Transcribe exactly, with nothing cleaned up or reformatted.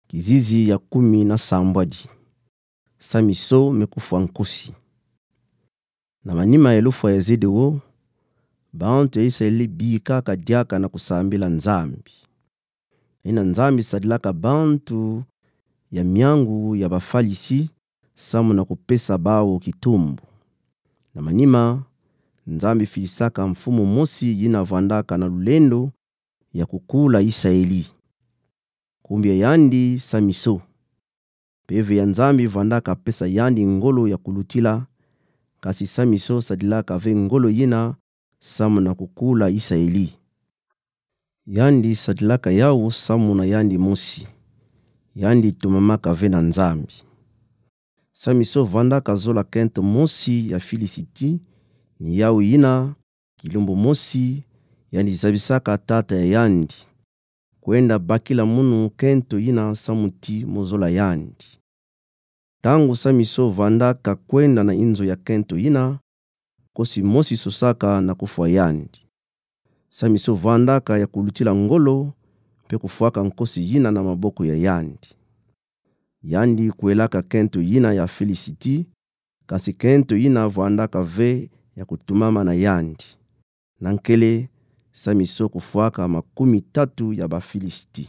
Kizizi ya kumi na sambwadi. Samiso me kufwa nkosi. Na manima ya lufwa ya zedeo, bantu ya Israeli bikaka diaka na kusambila Nzambi. Ina Nzambi sadilaka bantu ya miangu ya Bafalisi samu na kupesa bawu kitumbu. Na manima, Nzambi filisaka mfumu mosi yina vandaka na lulendo ya kukula Israeli. Nkumbu ya yandi Samiso. Mpeve ya Nzambi vandaka pesa yandi ngolo ya kulutila, kasi Samiso sadilaka ve ngolo yina samu na kukula Israeli. Yandi sadilaka yawu samu na yandi mosi. Yandi tumamaka ve na Nzambi. Samiso vandaka zola kento mosi ya Filisiti, ni yawu yina, kilumbu mosi, yandi zabisaka tata ya yandi kwenda bakila munu kento yina samu ti mo zola yandi. Ntangu Samiso vandaka kwenda na inzo ya kento yina, nkosi mosi sosaka na kufwa yandi. Samiso vandaka ya kulutila ngolo, mpe kufwaka nkosi yina na maboko ya yandi. Yandi kwelaka kento yina ya Filisiti, kasi kento yina vandaka ve ya kutumama na yandi. Na nkele, Samiso kufwaka makumi tatu ya Bafilisiti.